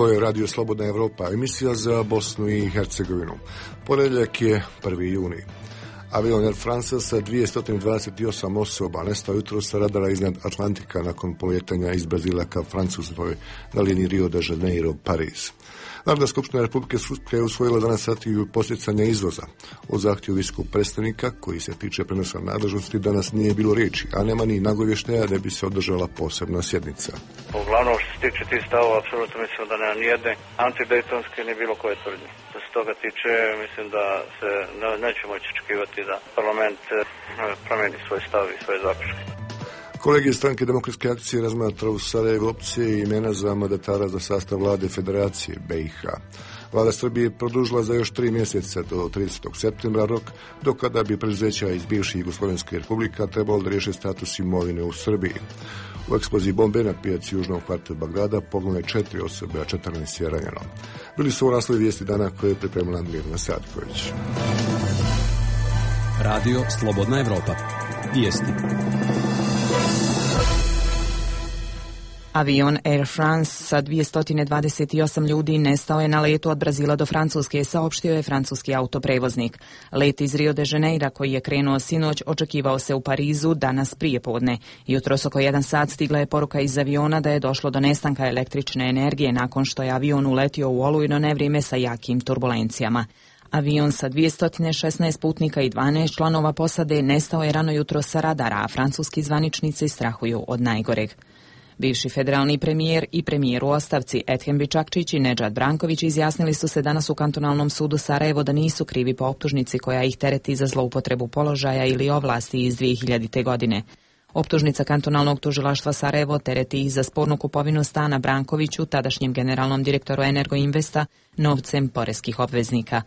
Ovo je Radio Slobodna Evropa, emisija za Bosnu i Hercegovinu. Ponedjeljak je 1. juni. Avion Air France sa 228 osoba nestao jutros sa radara iznad Atlantika nakon polijetanja iz Brazila ka Francuskoj na liniji Rio de Janeiro-Pariz. Narodna skupština Republike Srpske je usvojila danas strategiju podsticanja izvoza. O zahtjevu visokog predstavnika, koji se tiče prenosa nadležnosti, danas nije bilo riječi, a nema ni nagovještaja da bi se održala posebna sjednica. Uglavnom, što se tiče tih stavova, apsolutno mislim da nema nijedne antidejtonske ni bilo koje tvrdnje. Što se toga tiče, mislim da se neće moći očekivati da parlament promijeni svoj stav i svoje zaključke. Kolegij stranke Demokratske akcije razmatra u Sarajevu opcije i imena za mandatara za sastav vlade Federacije BiH. Vlada Srbije produžila za još 3 mjeseca do 30. septembra rok, do kada bi preduzeća iz bivših Jugoslovenskih republika trebalo da riješe status imovine u Srbiji. U eksploziji bombe na pijaci južnog kvarta Bagdada poginule 4 osobe, a 14 je ranjeno. Bili su u naslovi vijesti dana koje je pripremila Mirna Sadković. Radio Slobodna Evropa. Vijesti. Avion Air France sa 228 ljudi nestao je na letu od Brazila do Francuske, saopštio je francuski autoprevoznik. Let iz Rio de Janeira, koji je krenuo sinoć, očekivao se u Parizu danas prijepodne. Jutros oko 1 sat stigla je poruka iz aviona da je došlo do nestanka električne energije nakon što je avion uletio u olujno nevrijeme sa jakim turbulencijama. Avion sa 216 putnika i 12 članova posade nestao je rano jutro sa radara, a francuski zvaničnici strahuju od najgoreg. Bivši federalni premijer i premijer u ostavci Ethem Bičakčić i Nedžad Branković izjasnili su se danas u kantonalnom sudu Sarajevo da nisu krivi po optužnici koja ih tereti za zloupotrebu položaja ili ovlasti iz 2000. godine. Optužnica kantonalnog tužilaštva Sarajevo tereti ih za spornu kupovinu stana Brankoviću, tadašnjem generalnom direktoru Energoinvesta, novcem poreskih obveznika.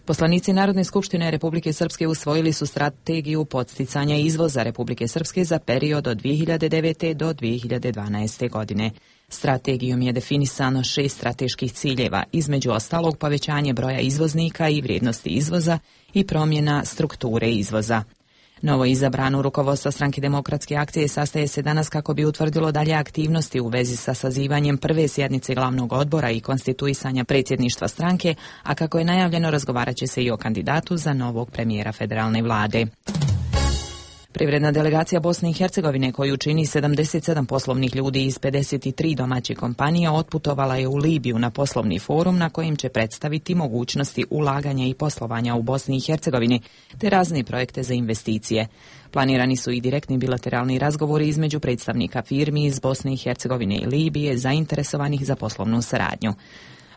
Poslanici Narodne skupštine Republike Srpske usvojili su strategiju podsticanja izvoza Republike Srpske za period od 2009. do 2012. godine. Strategijom je definisano 6 strateških ciljeva, između ostalog povećanje broja izvoznika i vrijednosti izvoza i promjena strukture izvoza. Novo izabrano rukovodstvo stranke Demokratske akcije sastaje se danas kako bi utvrdilo dalje aktivnosti u vezi sa sazivanjem prve sjednice glavnog odbora i konstituisanja predsjedništva stranke, a kako je najavljeno razgovarat će se i o kandidatu za novog premijera federalne vlade. Privredna delegacija Bosne i Hercegovine, koju čini 77 poslovnih ljudi iz 53 domaćih kompanija, otputovala je u Libiju na poslovni forum na kojem će predstaviti mogućnosti ulaganja i poslovanja u Bosni i Hercegovini, te razne projekte za investicije. Planirani su i direktni bilateralni razgovori između predstavnika firmi iz Bosne i Hercegovine i Libije zainteresovanih za poslovnu saradnju.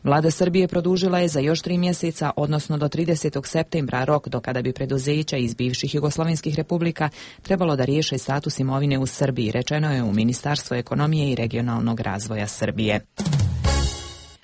Vlada Srbije produžila je za još 3 mjeseca, odnosno do 30. septembra, rok do kada bi preduzeća iz bivših jugoslovenskih republika trebalo da riješe status imovine u Srbiji, rečeno je u Ministarstvu ekonomije i regionalnog razvoja Srbije.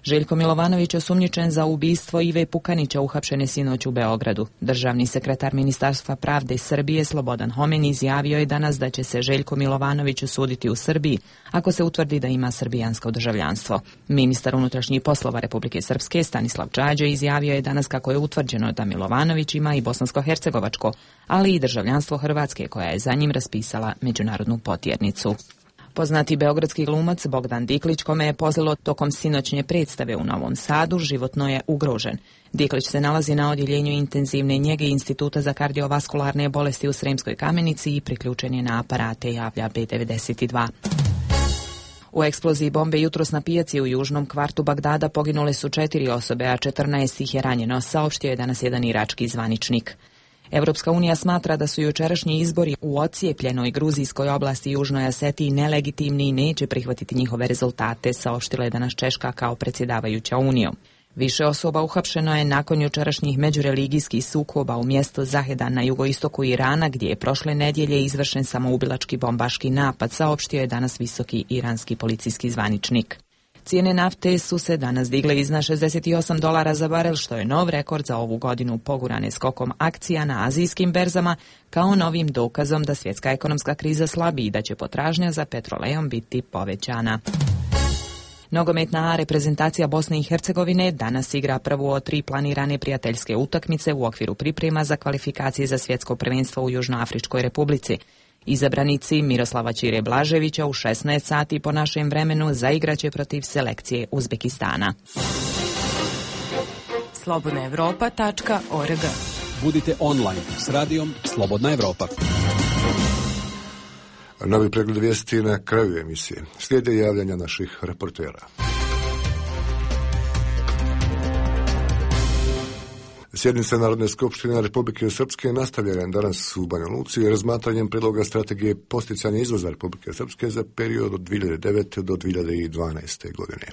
Željko Milovanović osumnjičen za ubistvo Ive Pukanića uhapšen je sinoć u Beogradu. Državni sekretar Ministarstva pravde Srbije Slobodan Homen izjavio je danas da će se Željko Milovanović osuditi u Srbiji ako se utvrdi da ima srbijansko državljanstvo. Ministar unutrašnjih poslova Republike Srpske Stanislav Čađo izjavio je danas kako je utvrđeno da Milovanović ima i bosansko-hercegovačko, ali i državljanstvo Hrvatske koja je za njim raspisala međunarodnu potjernicu. Poznati beogradski glumac Bogdan Diklić, kome je pozlilo tokom sinoćnje predstave u Novom Sadu, životno je ugrožen. Diklić se nalazi na odjeljenju intenzivne njege Instituta za kardiovaskularne bolesti u Sremskoj Kamenici i priključen je na aparate, javlja B92. U eksploziji bombe jutros na pijaci u južnom kvartu Bagdada poginule su 4 osobe, a 14 ih je ranjeno, saopštio je danas jedan irački zvaničnik. Evropska unija smatra da su jučerašnji izbori u ocijepljenoj gruzijskoj oblasti Južnoj Osetiji nelegitimni i neće prihvatiti njihove rezultate, saopštila je danas Češka kao predsjedavajuća Unijom. Više osoba uhapšeno je nakon jučerašnjih međureligijskih sukoba u mjestu Zahedan na jugoistoku Irana, gdje je prošle nedjelje izvršen samoubilački bombaški napad, saopštio je danas visoki iranski policijski zvaničnik. Cijene nafte su se danas digle iznad $68 za barel, što je nov rekord za ovu godinu, pogurane skokom akcija na azijskim berzama, kao novim dokazom da svjetska ekonomska kriza slabi i da će potražnja za petrolejom biti povećana. Nogometna reprezentacija Bosne i Hercegovine danas igra prvu od 3 planirane prijateljske utakmice u okviru priprema za kvalifikacije za svjetsko prvenstvo u Južnoafričkoj republici. Izabranici Miroslava Ćire Blaževića u 16 sati po našem vremenu zaigraće protiv selekcije Uzbekistana. slobodnaevropa.org. Budite online s radijom Slobodna Evropa. Novi pregled vijesti na kraju emisije. Slijede javljanja naših reportera. Sjednica Narodne skupštine Republike Srpske nastavljena danas u Banja Luci razmatranjem prijedloga strategije posticanja izvoza Republike Srpske za period od 2009. do 2012. godine.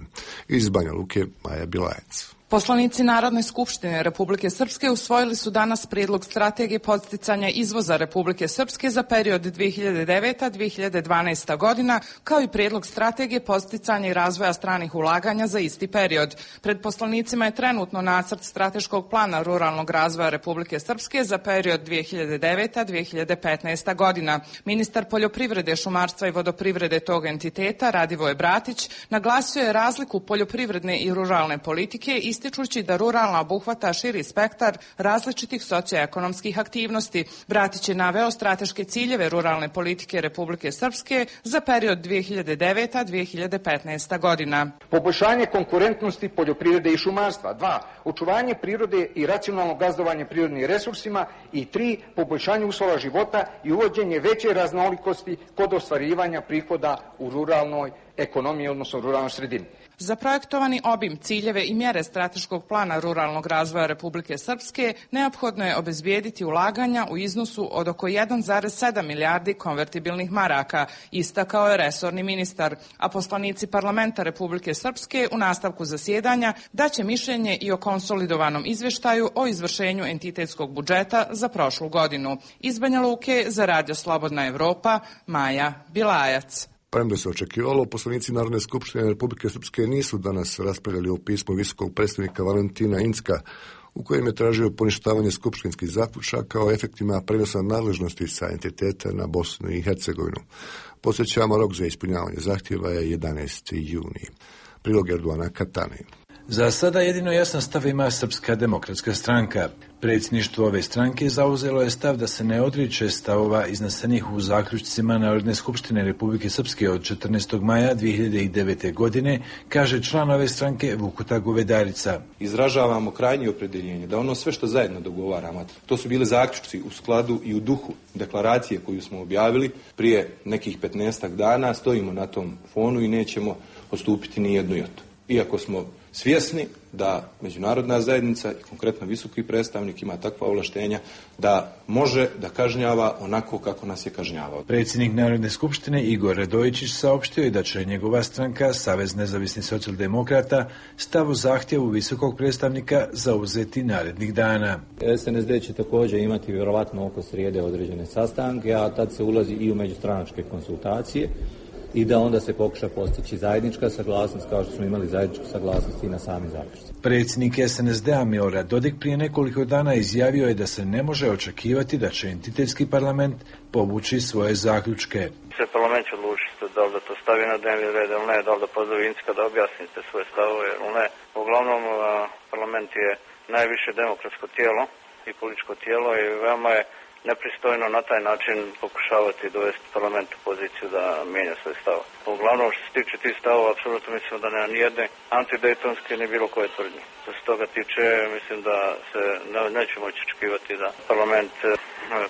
Iz Banja Luke Maja Bilajac. Poslanici Narodne skupštine Republike Srpske usvojili su danas prijedlog strategije podsticanja izvoza Republike Srpske za period 2009-2012. godina, kao i prijedlog strategije podsticanja i razvoja stranih ulaganja za isti period. Pred poslanicima je trenutno nacrt strateškog plana ruralnog razvoja Republike Srpske za period 2009-2015. godina. Ministar poljoprivrede, šumarstva i vodoprivrede tog entiteta, Radivoje Bratić, naglasio je razliku poljoprivredne i ruralne politike, ističući da ruralna obuhvata širi spektar različitih socioekonomskih aktivnosti. Bratić je naveo strateške ciljeve ruralne politike Republike Srpske za period 2009-2015. godina. Poboljšanje konkurentnosti poljoprivrede i šumarstva. 2. Očuvanje prirode i racionalno gazdovanje prirodnim resursima. I 3. Poboljšanje uslova života i uvođenje veće raznolikosti kod ostvarivanja prihoda u ruralnoj ekonomiji, odnosno ruralnoj sredini. Za projektovani obim, ciljeve i mjere strateškog plana ruralnog razvoja Republike Srpske neophodno je obezbijediti ulaganja u iznosu od oko 1,7 milijardi konvertibilnih maraka, istakao je resorni ministar, a poslanici parlamenta Republike Srpske u nastavku zasjedanja daće mišljenje i o konsolidovanom izvještaju o izvršenju entitetskog budžeta za prošlu godinu. Iz Banja Luke za Radio Slobodna Evropa, Maja Bilajac. Premda se očekivalo, poslanici Narodne skupštine Republike Srpske nisu danas raspravljali o pismu visokog predstavnika Valentina Incka, u kojem je tražio poništavanje skupštinskih zaključaka o efektima prenosa nadležnosti sa entiteta na Bosnu i Hercegovinu. Podsjećamo, rok za ispunjavanje zahtjeva je 11. juni. Prilog Erdoana Katani. Za sada jedino jasan stav ima Srpska demokratska stranka. Predsjedništvo ove stranke zauzelo je stav da se ne odriče stavova iznesenih u zaključcima Narodne skupštine Republike Srpske od 14. maja 2009. godine, kaže član ove stranke Vukuta Govedarica. Izražavamo krajnje opredjeljenje da ono sve što zajedno dogovaramo, to su bili zaključci u skladu i u duhu deklaracije koju smo objavili prije nekih 15 dana, stojimo na tom fonu i nećemo odstupiti ni jednu jotu. Iako smo svjesni da međunarodna zajednica i konkretno visoki predstavnik ima takva ovlaštenja da može da kažnjava onako kako nas je kažnjavao. Predsjednik Narodne skupštine Igor Radojičić saopštio je da će njegova stranka, Savez nezavisnih socijaldemokrata, stav o zahtjevu visokog predstavnika zauzeti narednih dana. SNSD će također imati vjerovatno oko srijede određene sastanke, a tad se ulazi i u međustranačke konsultacije i da onda se pokuša postići zajednička saglasnost, kao što smo imali zajedničku saglasnost i na sami zaključci. Predsjednik SNSD-a Milorad Dodik prije nekoliko dana izjavio je da se ne može očekivati da će entitetski parlament povući svoje zaključke. Parlament će odlučiti da li da to stavi na dnevni red ili ne, da li da pozove Incka da objasnite svoje stavove ili ne. Uglavnom, parlament je najviše demokratsko tijelo i političko tijelo i veoma je nepristojno na taj način pokušavati dovesti parlament u poziciju da mijenja svoj stav. Uglavnom, što se tiče tih stavova, apsolutno mislim da nema nijedne antidejtonske ni bilo koje tvrdnje. Što se toga tiče, mislim da se neće moći očekivati da parlament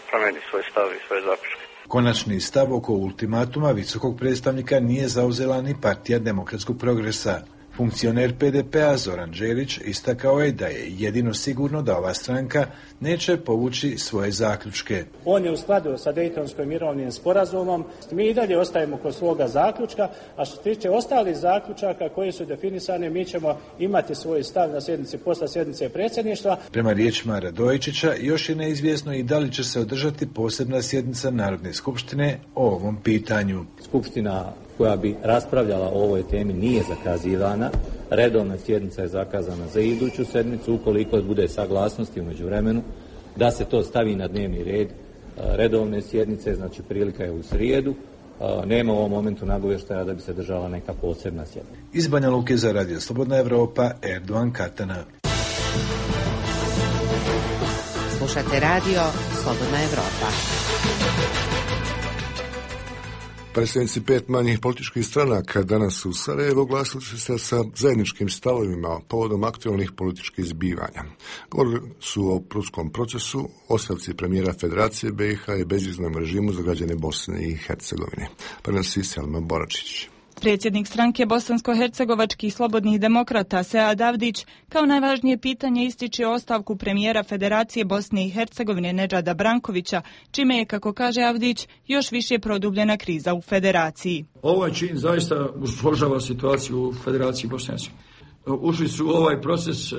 promijeni svoj stav i svoje zaključke. Konačni stav oko ultimatuma visokog predstavnika nije zauzela ni Partija demokratskog progresa. Funkcioner PDP-a Zoran Đelić istakao je da je jedino sigurno da ova stranka neće povući svoje zaključke. On je u skladu sa Dejtonskim mirovnim sporazumom. Mi i dalje ostajemo kod svoga zaključka, a što se tiče ostalih zaključaka koji su definisani, mi ćemo imati svoj stav na sjednici posle sjednice predsjedništva. Prema riječima Radojičića, još je neizvjesno i da li će se održati posebna sjednica Narodne skupštine o ovom pitanju. Skupština koja bi raspravljala o ovoj temi nije zakazivana. Redovna sjednica je zakazana za iduću sedmicu, ukoliko bude saglasnosti u međuvremenu da se to stavi na dnevni red redovne sjednice, znači prilika je u srijedu. Nema u ovom momentu nagovještaja da bi se držala neka posebna sjednica. Iz Banja Luke za Radio Slobodna Evropa, Erdoan Katana. Slušate Radio Slobodna Evropa. Predsjednici 5 manjih političkih stranaka danas u Sarajevu oglasili su se sa zajedničkim stavovima povodom aktualnih političkih zbivanja. Govorili su o prutskom procesu, ostavci premijera Federacije BiH i bezviznom režimu za građane Bosne i Hercegovine. Prenosi Selma Boračić. Predsjednik stranke bosansko-hercegovačkih slobodnih demokrata Sead Avdić kao najvažnije pitanje ističe ostavku premijera Federacije Bosne i Hercegovine Nedžada Brankovića, čime je, kako kaže Avdić, još više produbljena kriza u Federaciji. Ovaj čin zaista usložava situaciju u Federaciji Bosne i Hercegovine. Ušli su u ovaj proces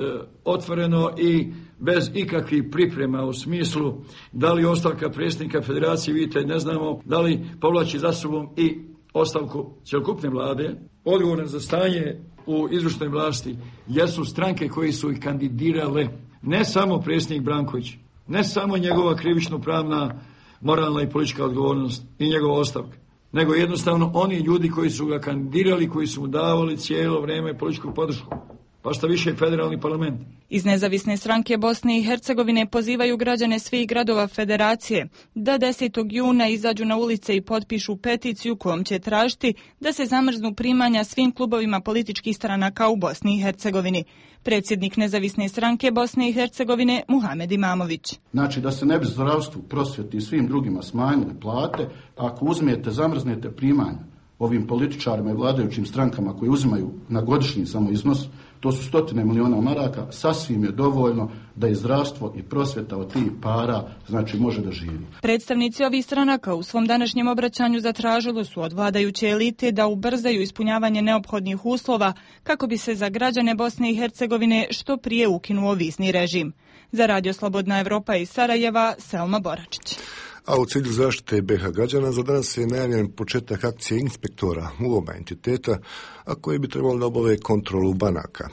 otvoreno i bez ikakvih priprema u smislu da li ostavka predsjednika Federacije, vidite, ne znamo da li povlači za sobom i ostavku cjelokupne vlade. Odgovorne za stanje u izvršnoj vlasti jesu stranke koji su ih kandidirale, ne samo predsjednik Branković, ne samo njegova krivično-pravna, moralna i politička odgovornost i njegova ostavka, nego jednostavno oni ljudi koji su ga kandidirali, koji su mu davali cijelo vrijeme političku podršku, pa šta više federalni parlament. Iz nezavisne stranke Bosne i Hercegovine pozivaju građane svih gradova Federacije da 10. juna izađu na ulice i potpišu peticiju kojom će tražiti da se zamrznu primanja svim klubovima političkih stranaka u Bosni i Hercegovini. Predsjednik nezavisne stranke Bosne i Hercegovine Muhamed Imamović. Znači da se ne bi zdravstvu, prosvjeti i svim drugima smanjile plate, ako uzmete, zamrznete primanja ovim političarima i vladajućim strankama koji uzimaju na godišnji samo iznos, to su 100 milijuna maraka, sasvim je dovoljno da i zdravstvo i prosvjeta od tih para znači može da živi. Predstavnici ovih stranaka u svom današnjem obraćanju zatražili su od vladajuće elite da ubrzaju ispunjavanje neophodnih uslova kako bi se za građane Bosne i Hercegovine što prije ukinuo vizni režim. Za Radio Slobodna Evropa iz Sarajeva, Selma Boračić. A u cilju zaštite BiH građana za danas je najavljen početak akcije inspektora u oba entiteta, a koji bi trebalo da obave kontrolu banaka.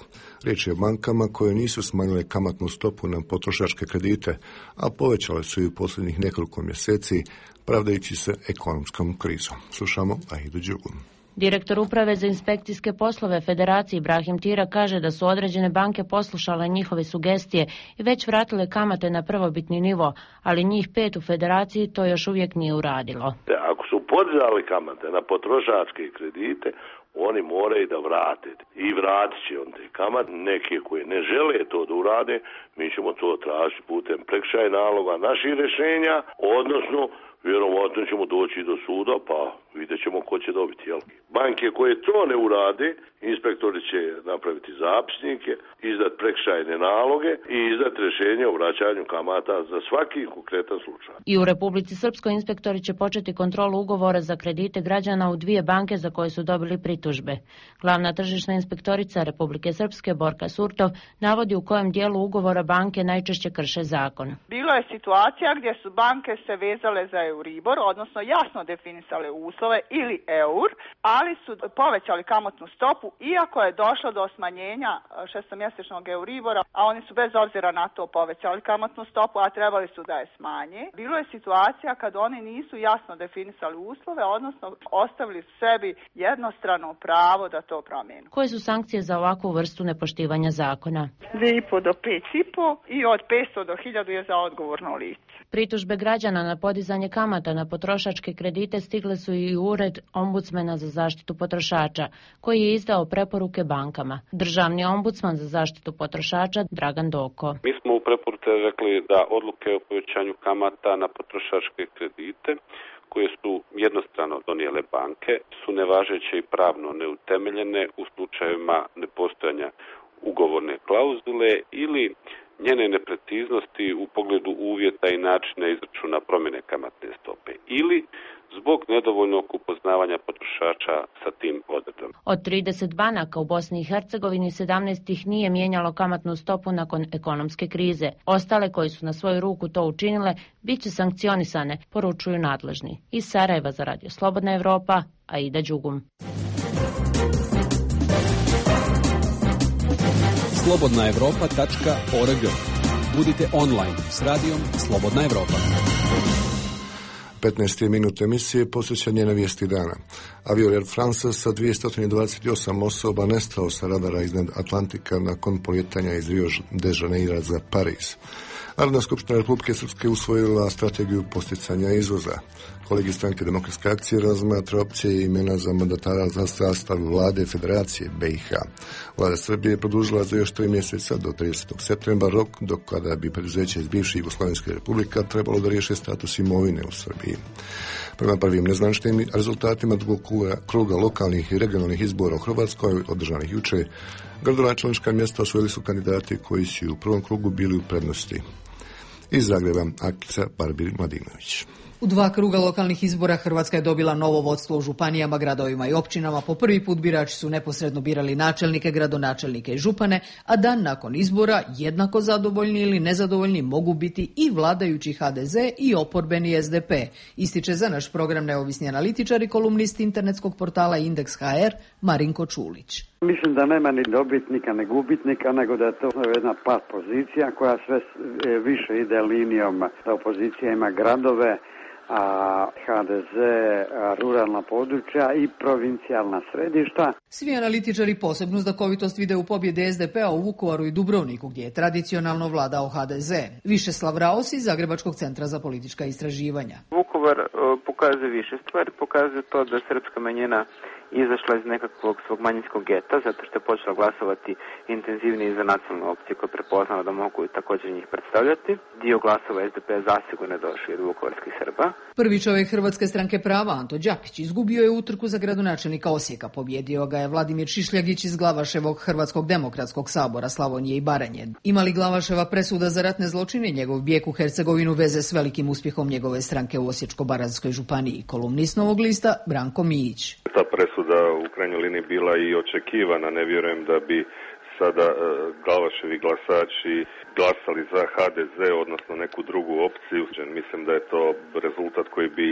Riječ je o bankama koje nisu smanjile kamatnu stopu na potrošačke kredite, a povećale su i u posljednjih nekoliko mjeseci, pravdajući se ekonomskom krizom. Slušamo Ahidu Đugu. Direktor uprave za inspekcijske poslove Federacije Ibrahim Tira kaže da su određene banke poslušale njihove sugestije i već vratile kamate na prvobitni nivo, ali njih 5 u Federaciji to još uvijek nije uradilo. Ako su podizali kamate na potrošačke kredite, oni moraju da vrate i vratit će on te kamate. Neke koje ne žele to da urade, mi ćemo to tražiti putem prekršajnog naloga naših rješenja, odnosno vjerovatno ćemo doći do suda, pa vidjet ćemo ko će dobiti. Jel? Banke koje to ne urade, inspektori će napraviti zapisnike, izdat prekršajne naloge i izdat rješenje o vraćanju kamata za svaki konkretan slučaj. I u Republici Srpskoj inspektori će početi kontrolu ugovora za kredite građana u 2 banke za koje su dobili pritužbe. Glavna tržišna inspektorica Republike Srpske Borka Surtov navodi u kojem dijelu ugovora banke najčešće krše zakon. Bilo je situacija gdje su banke se vezale za Euribor, odnosno jasno definisale uslove ili eur, ali su povećali kamatnu stopu iako je došlo do smanjenja šestomjesečnog Euribora, a oni su bez obzira na to povećali kamatnu stopu, a trebali su da je smanje. Bilo je situacija kad oni nisu jasno definisali uslove, odnosno ostavili sebi jednostrano pravo da to promijenu. Koje su sankcije za ovakvu vrstu nepoštivanja zakona? 2,5 do 5,5 i od 500 do 1000 je za odgovorno lice. Pritužbe građana na podizanje kamata na potrošačke kredite stigle su i u ured ombudsmana za zaštitu potrošača, koji je izdao preporuke bankama. Državni ombudsman za zaštitu potrošača Dragan Doko. Mi smo u preporuke rekli da odluke o povećanju kamata na potrošačke kredite koje su jednostrano donijele banke su nevažeće i pravno neutemeljene u slučajevima nepostojanja ugovorne klauzule ili njene nepreciznosti u pogledu uvjeta i načina izračuna promjene kamatne stope ili zbog nedovoljnog upoznavanja potrošača sa tim odredbama. Od 30 banaka u Bosni i Hercegovini 17 ih nije mijenjalo kamatnu stopu nakon ekonomske krize. Ostale koji su na svoju ruku to učinile bit će sankcionisane, poručuju nadležni. Iz Sarajeva za Radio Slobodna Evropa, Aida Đugum. slobodnaevropa.org. Budite online s radijom Slobodna Evropa. 15. minut emisije posvećen je na vijesti dana. Avion Air France sa 228 osoba nestao sa radara iznad Atlantika nakon polijetanja iz Rio de Janeira za Pariz. Narodna skupština Republike Srpske usvojila strategiju posticanja izvoza. Kolegi stranke Demokratske akcije razmatra opcije i imena za mandatara za sastav vlade Federacije BiH. Vlada Srbije je produžila za još 3 mjeseca do 30. septembra rok do kada bi preduzeće iz bivših Jugoslovenskih republika trebalo da riješe status imovine u Srbiji. Prema prvim nezvaničnim rezultatima drugog kruga lokalnih i regionalnih izbora u Hrvatskoj, održanih juče, gradonačelnička mjesta osvojili su kandidati koji su u prvom krugu bili u prednosti. Iz Zagreba, Akica Barbir-Mladinović. U 2 kruga lokalnih izbora Hrvatska je dobila novo vodstvo u županijama, gradovima i općinama. Po prvi put birači su neposredno birali načelnike, gradonačelnike i župane, a dan nakon izbora jednako zadovoljni ili nezadovoljni mogu biti i vladajući HDZ i oporbeni SDP. Ističe za naš program neovisni analitičar i kolumnist internetskog portala Indeks.hr Marinko Čulić. Mislim da nema ni dobitnika ni gubitnika, nego da je to jedna pat pozicija koja sve više ide linijom da opozicija ima gradove, a HDZ ruralna područja i provincijalna središta. Svi analitičari posebnu znakovitost vide u pobjedi SDP-a u Vukovaru i Dubrovniku, gdje je tradicionalno vladao HDZ. Višeslav Raos iz Zagrebačkog centra za politička istraživanja. Vukovar pokazuje više stvari, pokazuje to da srpska manjina izašla iz nekakvog svog manjinskog geta, zato što je počela glasovati intenzivnije za nacionalnu opciju koja je prepoznala da mogu i također njih predstavljati. Dio glasova SDP zasigurno je došao od vukovarskih Srba. Prvi čovjek Hrvatske stranke prava, Anto Đapić, izgubio je utrku za gradonačelnika Osijeka. Pobjedio ga je Vladimir Šišljagić iz Glavaševog Hrvatskog demokratskog sabora Slavonije i Baranje. Ima li Glavaševa presuda za ratne zločine njegov bijeg u Hercegovinu veze s velikim uspjehom njegove stranke u Osječko-baranjskoj županiji? Kolumnist Novog lista Branko Mijić. Ta presuda u krajnjoj liniji bila i očekivana. Ne vjerujem da bi sada Glavaševi glasači glasali za HDZ, odnosno neku drugu opciju. Mislim da je to rezultat koji bi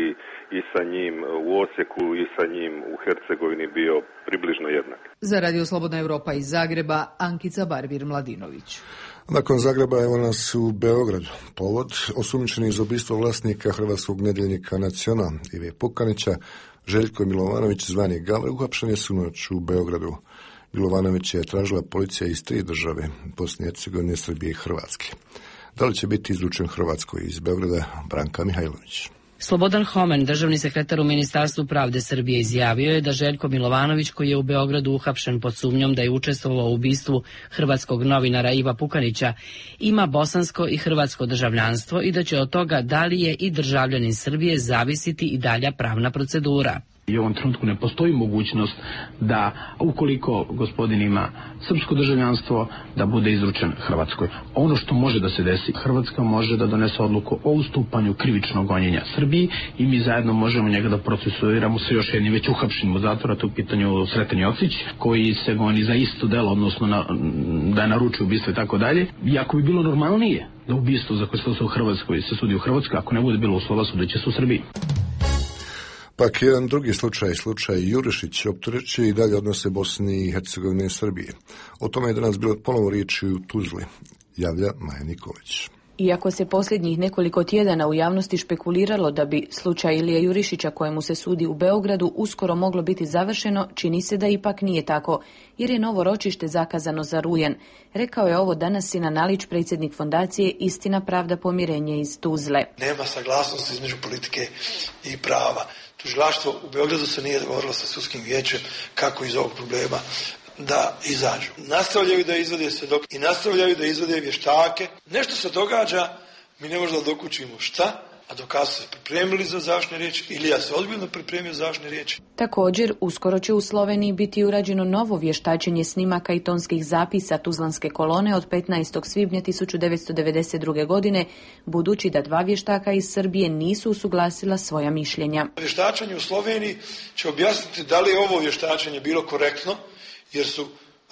i sa njim u Osijeku i sa njim u Hercegovini bio približno jednak. Za Radio Slobodna Europa iz Zagreba, Ankica Barbir-Mladinović. Nakon Zagreba evo nas u Beogradu. Povod, osumnjičeni iz ubistva vlasnika hrvatskog nedjeljnika Nacional Ive Pukanića, Željko Milovanović zvani Gavra, uhapšen je sinoć u Beogradu. Milovanović je tražila policija iz 3 države, Bosne i Hercegovine, Srbije i Hrvatske. Da li će biti izručen Hrvatskoj iz Beograda? Branka Mihajlović. Slobodan Homen, državni sekretar u Ministarstvu pravde Srbije, izjavio je da Željko Milovanović, koji je u Beogradu uhapšen pod sumnjom da je učestvovao u ubistvu hrvatskog novinara Iva Pukanića, ima bosansko i hrvatsko državljanstvo i da će od toga da li je i državljanin Srbije zavisiti i dalja pravna procedura. I u ovom trenutku ne postoji mogućnost da, ukoliko gospodin ima srpsko državljanstvo, da bude izručen Hrvatskoj. Ono što može da se desi, Hrvatska može da donese odluku o ustupanju krivičnog gonjenja Srbiji i mi zajedno možemo njega da procesuiramo sa još jednim već uhapšenim u zatvora, to u pitanju Sreten Jocić, koji se goni za isto delo, odnosno da je naručio ubistvo i tako dalje. I ako bi bilo normalnije da ubistvo za koje se u Hrvatskoj se sudi u Hrvatskoj, ako ne bude bilo uslova, sudeće se u Srbiji. Pak jedan drugi slučaj Jurišić, optužujući i dalje odnose Bosni i Hercegovine i Srbije. O tome je danas bilo ponovo riječi u Tuzli, javlja Maja Nikolić. Iako se posljednjih nekoliko tjedana u javnosti špekuliralo da bi slučaj Ilije Jurišića, kojemu se sudi u Beogradu, uskoro moglo biti završeno, čini se da ipak nije tako, jer je novo ročište zakazano za rujan. Rekao je ovo danas Sinan Alić, predsjednik fondacije Istina, pravda, pomirenje iz Tuzle. Nema saglasnosti između politike i prava. Tužilaštvo u Beogradu se nije dogovorilo sa sudskim vijećem kako iz ovog problema da izađu. Nastavljaju da izvode svjedoke i nastavljaju da izvode vještake. Nešto se događa, mi ne možemo da dokučimo šta, a dokaz se pripremili za završne riječi ili ja se ozbiljno pripremio za završne riječi. Također, uskoro će u Sloveniji biti urađeno novo vještačenje snimaka i tonskih zapisa Tuzlanske kolone od 15. svibnja 1992. godine, budući da 2 vještaka iz Srbije nisu usuglasila svoja mišljenja. Vještačenje u Sloveniji će objasniti da li je ovo vještačenje bilo korektno, jer su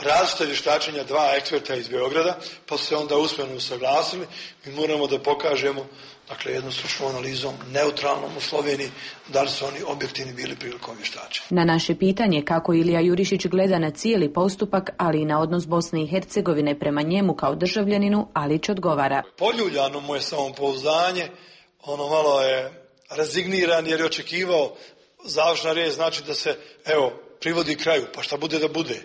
različite vještačenja 2 eksperta iz Beograda, pa su se onda usmeno usaglasili. Mi moramo da pokažemo, dakle, jednom stručnom analizom, neutralnom u Sloveniji, da li su oni objektivni bili prilikom vještačenja. Na naše pitanje kako Ilija Jurišić gleda na cijeli postupak, ali i na odnos Bosne i Hercegovine prema njemu kao državljaninu, Alić odgovara. Poljuljano mu je samopouzdanje, ono malo je rezigniran jer je očekivao završna riječ, znači da se, privodi kraju, pa šta bude da bude.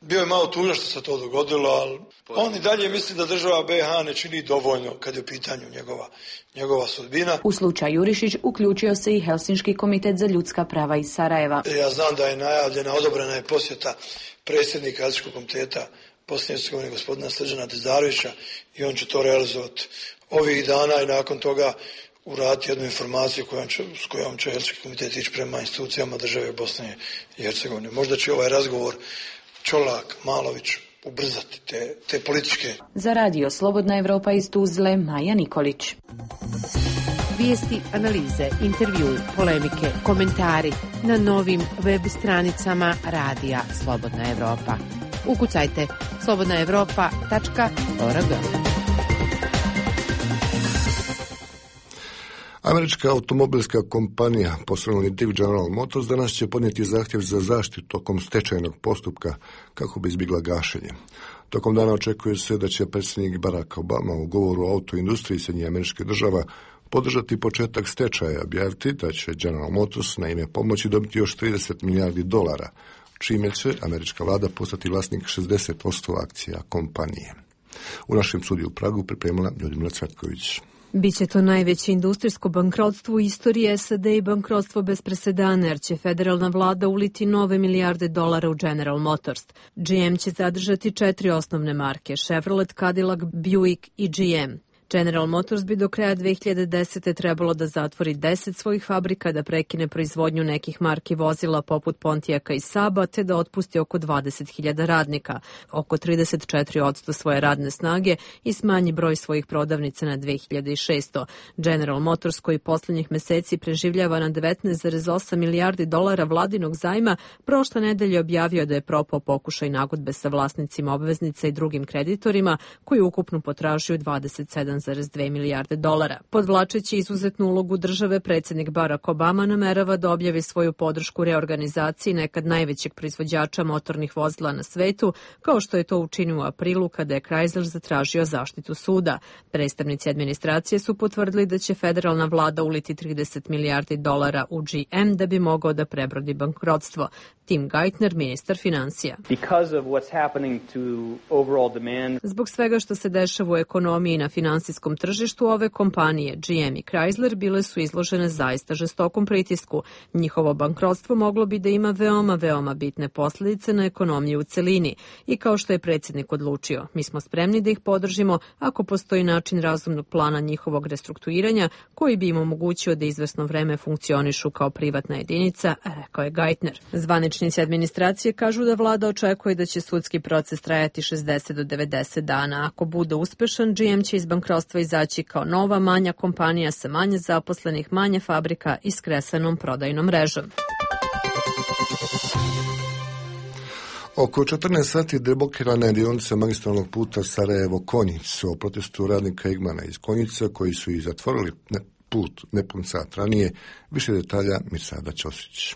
Bio je malo tužan što se to dogodilo, ali on i dalje misli da država BiH ne čini dovoljno kad je u pitanju njegova sudbina. U slučaju Jurišić uključio se i Helsinški komitet za ljudska prava iz Sarajeva. Ja znam da je najavljena, odobrena je posjeta predsjednika Helsinškog komiteta Bosne i Hercegovine gospodina Srđana Tezarovića i on će to realizovati ovih dana i nakon toga uraditi jednu informaciju s kojom će Helsinški komitet ići prema institucijama države Bosne i Hercegovine. Možda će ovaj razgovor Čolak, Malović ubrzati te političke. Za radio Slobodna Evropa iz Tuzle, Maja Nikolić. Vijesti, analize, intervju, polemike, komentari na novim web stranicama radija Slobodna Evropa. Ukucajte slobodnaevropa.org. Američka automobilska kompanija poslovni div General Motors danas će podnijeti zahtjev za zaštitu tokom stečajnog postupka kako bi izbjegla gašenje. Tokom dana očekuje se da će predsjednik Barack Obama u govoru o autoindustriji Sjedinjenih Američkih Država podržati početak stečaja, objaviti da će General Motors na ime pomoći dobiti još $30 milijardi, čime će američka vlada postati vlasnik 60% akcija kompanije. U našem studiju u Pragu pripremila Ljudmila Cvetković. Biće to najveće industrijsko bankrotstvo u istoriji SAD i bankrotstvo bez presedana, jer će federalna vlada uliti nove milijarde dolara u General Motors. GM će zadržati 4 osnovne marke, Chevrolet, Cadillac, Buick i GM. General Motors bi do kraja 2010. trebalo da zatvori 10 svojih fabrika, da prekine proizvodnju nekih marki vozila poput Pontiaka i Saaba, te da otpusti oko 20.000 radnika, oko 34% svoje radne snage i smanji broj svojih prodavnica na 2600. General Motors, koji posljednjih meseci preživljava na $19,8 milijardi vladinog zajma, prošle nedelje objavio da je propao pokušaj nagodbe sa vlasnicima obveznica i drugim kreditorima, koji ukupno potražuju $27,2 milijarde. Podvlačeći izuzetnu ulogu države, predsjednik Barack Obama namerava da objavi svoju podršku reorganizaciji nekad najvećeg proizvođača motornih vozila na svetu, kao što je to učinio u aprilu kada je Chrysler zatražio zaštitu suda. Predstavnici administracije su potvrdili da će federalna vlada uliti $30 milijardi u GM da bi mogao da prebrodi bankrotstvo. Tim Geithner, ministar finansija. Zbog svega što se dešava u ekonomiji i na finansijskom tržištu, ove kompanije GM i Chrysler bile su izložene zaista žestokom pritisku. Njihovo bankrotstvo moglo bi da ima veoma bitne posljedice na ekonomiju u celini. I kao što je predsjednik odlučio, mi smo spremni da ih podržimo ako postoji način razumnog plana njihovog restrukturiranja koji bi im omogućio da izvesno vreme funkcionišu kao privatna jedinica, rekao je Geithner. Zvaničnici administracije kažu da vlada očekuje da će sudski proces trajati 60 do 90 dana. Ako bude uspešan, GM će iz bankrotstva izaći kao nova, manja kompanija sa manje zaposlenih, manje fabrika i skresanom prodajnom mrežom. Oko 14 sati deblokirana je dionica magistralnog puta Sarajevo-Konjic o protestu radnika Igmana iz Konjica koji su i zatvorili put nepun sat ranije. Više detalja Mirsada Ćosić.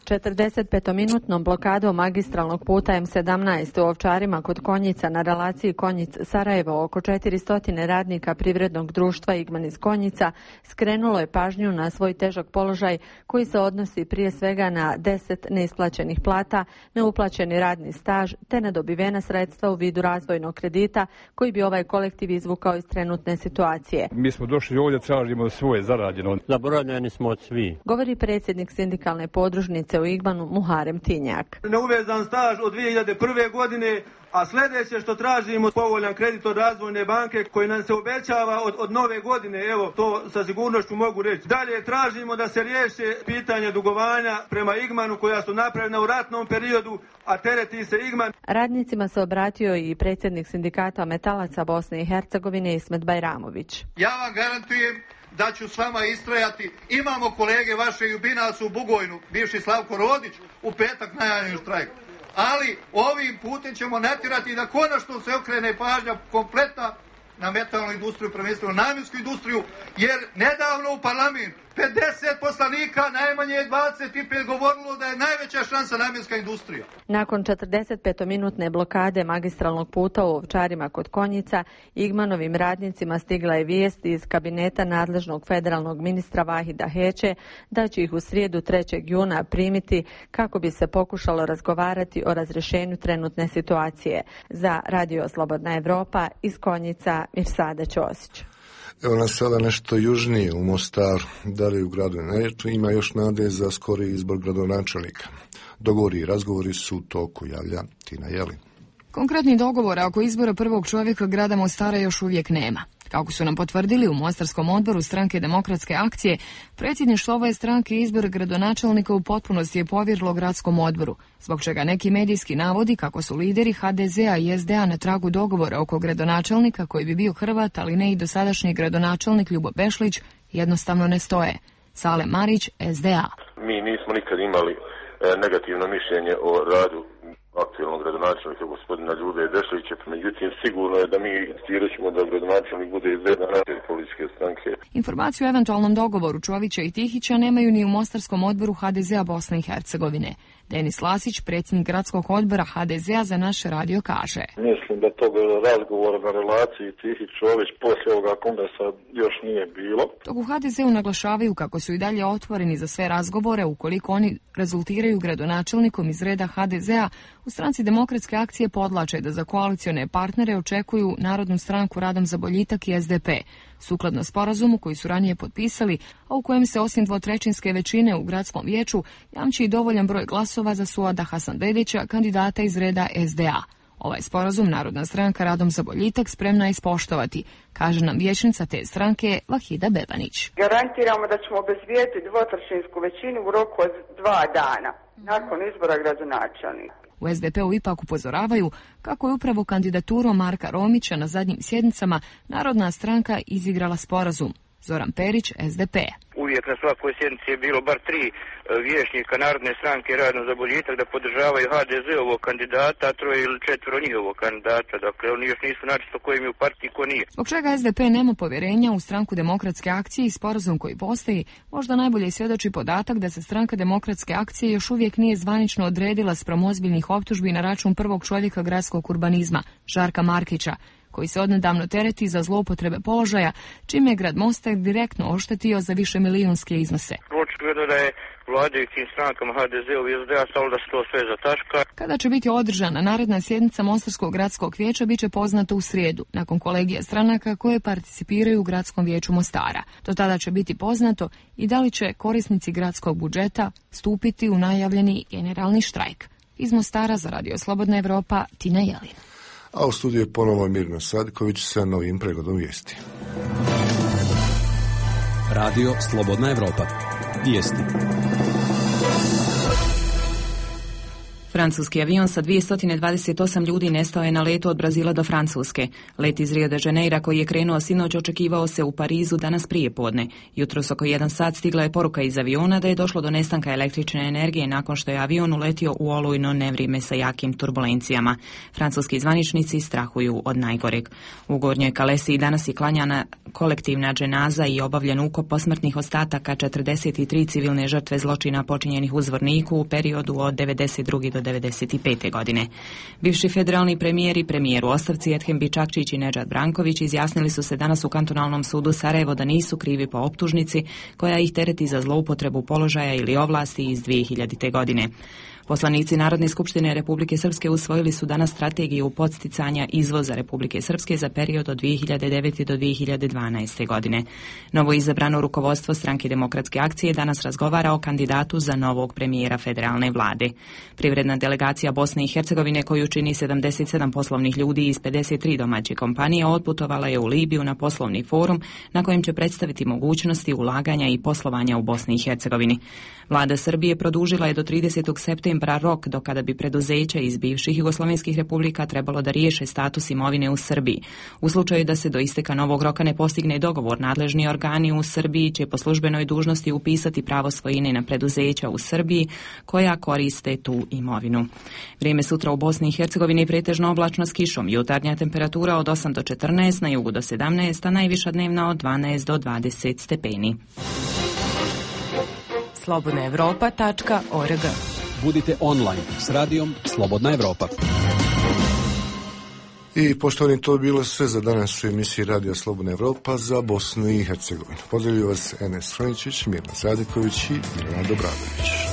45-minutnom blokadom magistralnog puta M17 u Ovčarima kod Konjica na relaciji Konjic-Sarajevo oko 400 radnika privrednog društva Igman iz Konjica skrenulo je pažnju na svoj težak položaj koji se odnosi prije svega na 10 neisplaćenih plata, neuplaćeni radni staž te nedobivena sredstva u vidu razvojnog kredita koji bi ovaj kolektiv izvukao iz trenutne situacije. Mi smo došli ovdje, tražimo svoje zarađeno. Zaboravljeni smo od svi. Govori predsjednik sindikalne podružnice u Igmanu Muharem Tinjak. Neuvezan staž od 2001. godine, a sljedeće što tražimo povoljan kredit od razvojne banke koji nam se obećava od nove godine, evo to sa sigurnošću mogu reći. Dalje tražimo da se riješe pitanje dugovanja prema Igmanu koja su napravljena u ratnom periodu, a tereti se Igman. Radnicima se obratio i predsjednik sindikata metalaca Bosne i Hercegovine Ismet Bajramović. Ja vam garantujem da ću s vama istrajati. Imamo kolege vaše i u Binacu u Bugojnu, bivši Slavko Rodić, u petak najavljen štrajk. Ali ovim putem ćemo natjerati da konačno se okrene pažnja kompletna na metalnu industriju, prvenstveno namjensku industriju, jer nedavno u parlament 50 poslanika, najmanje 25 govorilo da je najveća šansa namjenska industrija. Nakon 45-minutne blokade magistralnog puta u Ovčarima kod Konjica, Igmanovim radnicima stigla je vijest iz kabineta nadležnog federalnog ministra Vahida Heće da će ih u srijedu 3. juna primiti kako bi se pokušalo razgovarati o razrješenju trenutne situacije. Za Radio Slobodna Evropa iz Konjica Mirsada Ćosić. Evo nas sada nešto južnije u Mostar, da li u gradu ima još nade za skori izbor gradonačelnika. Dogovori i razgovori su u toku, javlja Tina Jelin. Konkretni dogovor oko izbora prvog čovjeka grada Mostara još uvijek nema. Kako su nam potvrdili u Mostarskom odboru stranke Demokratske akcije, predsjedništvo ove stranke izbor gradonačelnika u potpunosti je povjerilo gradskom odboru, zbog čega neki medijski navodi kako su lideri HDZ-a i SDA na tragu dogovora oko gradonačelnika koji bi bio Hrvat, ali ne i dosadašnji gradonačelnik Ljubo Bešlić, jednostavno ne stoje. Sale Marić, SDA. Mi nismo nikad imali negativno mišljenje o radu aktualnog gradonačelnika gospodina Ljube Bešlića, međutim sigurno je da mi ćemo da gradonačelnik bude iz jedne naše političke stranke. Informaciju o eventualnom dogovoru Čovića i Tihića nemaju ni u Mostarskom odboru HDZ-a Bosne i Hercegovine. Denis Lasić, predsjednik gradskog odbora HDZ-a za naš radio kaže. Mislim da tog razgovora na relaciji Tihić-Čović poslije ovoga kongresa još nije bilo. Dok u HDZ-u naglašavaju kako su i dalje otvoreni za sve razgovore ukoliko oni rezultiraju gradonačelnikom iz reda HDZ-a, u stranci Demokratske akcije podlače da za koalicione partnere očekuju Narodnu stranku Radom za boljitak i SDP, sukladno sporazumu koji su ranije potpisali, a u kojem se osim dvotrećinske većine u gradskom vijeću jamči i dovoljan broj glasova za Suada Hasanbegovića, kandidata iz reda SDA. Ovaj sporazum Narodna stranka Radom za boljitak spremna je ispoštovati, kaže nam vijećnica te stranke Vahida Bebanić. Garantiramo da ćemo obezbijediti dvotrećinsku većinu u roku od 2 dana nakon izbora gradonačelnika. U SDP-u ipak upozoravaju kako je upravo kandidaturu Marka Romića na zadnjim sjednicama Narodna stranka izigrala sporazum. Zoran Perić, SDP. Uvijek na svakoj sjednici je bilo bar 3 vijećnika Narodne stranke Radom za boljitak da podržavaju HDZ-ovog kandidata, a 3 ili 4 njihovog kandidata. Dakle, oni još nisu načisto ko im je u partiji, ko nije. Zbog čega SDP nema povjerenja u stranku Demokratske akcije i sporazum koji postoji, možda najbolje svjedoči podatak da se stranka Demokratske akcije još uvijek nije zvanično odredila spram ozbiljnih optužbi na račun prvog čovjeka gradskog urbanizma, Žarka Markića, koji se odnedavno tereti za zloupotrebe položaja, čime je grad Mostar direktno oštetio za višemilijunske iznose. Očigledno da je vladajućim strankama HDZ-u i SDA stalo da se to sve zataška. Kada će biti održana naredna sjednica Mostarskog gradskog vijeća bit će poznato u srijedu, nakon kolegija stranaka koje participiraju u gradskom vijeću Mostara. Do tada će biti poznato i da li će korisnici gradskog budžeta stupiti u najavljeni generalni štrajk. Iz Mostara za Radio Slobodna Evropa, Tina Jelin. A u studiju je ponovo Mirna Sadiković sa novim pregledom vijesti. Radio Slobodna Evropa. Vijesti. Francuski avion sa 228 ljudi nestao je na letu od Brazila do Francuske. Let iz Rio de Janeira koji je krenuo sinoć očekivao se u Parizu danas prije podne. Jutros oko 1 sat stigla je poruka iz aviona da je došlo do nestanka električne energije nakon što je avion uletio u olujno nevrijeme sa jakim turbulencijama. Francuski zvaničnici strahuju od najgoreg. U Gornjoj Kalesiji danas je klanjana kolektivna dženaza i obavljen ukop posmrtnih ostataka 43 civilne žrtve zločina počinjenih u Zvorniku u periodu od 92. do 1995. godine. Bivši federalni premijer i premijer u ostavci Edhem Bičakčić i Nedžad Branković izjasnili su se danas u kantonalnom sudu Sarajevo da nisu krivi po optužnici koja ih tereti za zloupotrebu položaja ili ovlasti iz 2000. godine. Poslanici Narodne skupštine Republike Srpske usvojili su danas strategiju podsticanja izvoza Republike Srpske za period od 2009. do 2012. godine. Novo izabrano rukovodstvo stranke Demokratske akcije danas razgovara o kandidatu za novog premijera federalne vlade. Privredna delegacija Bosne i Hercegovine koju čini 77 poslovnih ljudi iz 53 domaće kompanije otputovala je u Libiju na poslovni forum na kojem će predstaviti mogućnosti ulaganja i poslovanja u Bosni i Hercegovini. Vlada Srbije produžila je do 30. septembra rok do kada bi preduzeća iz bivših jugoslovenskih republika trebalo da riješe status imovine u Srbiji. U slučaju da se do isteka novog roka ne postigne dogovor, nadležni organi u Srbiji će po službenoj dužnosti upisati pravo svojine na preduzeća u Srbiji koja koriste tu imovinu. Vrijeme sutra u Bosni i Hercegovini pretežno oblačno s kišom. Jutarnja temperatura od 8 do 14, na jugu do 17, a najviša dnevna od 12 do 20 stepeni. slobodnaevropa.org. Budite online s radijom Slobodna Evropa. I poštovani, to je bilo sve za danas u emisiji Radija Slobodna Evropa za Bosnu i Hercegovinu. Pozdravljaju vas Enes Franičić, Mirna Sadiković i Milana Dobradović.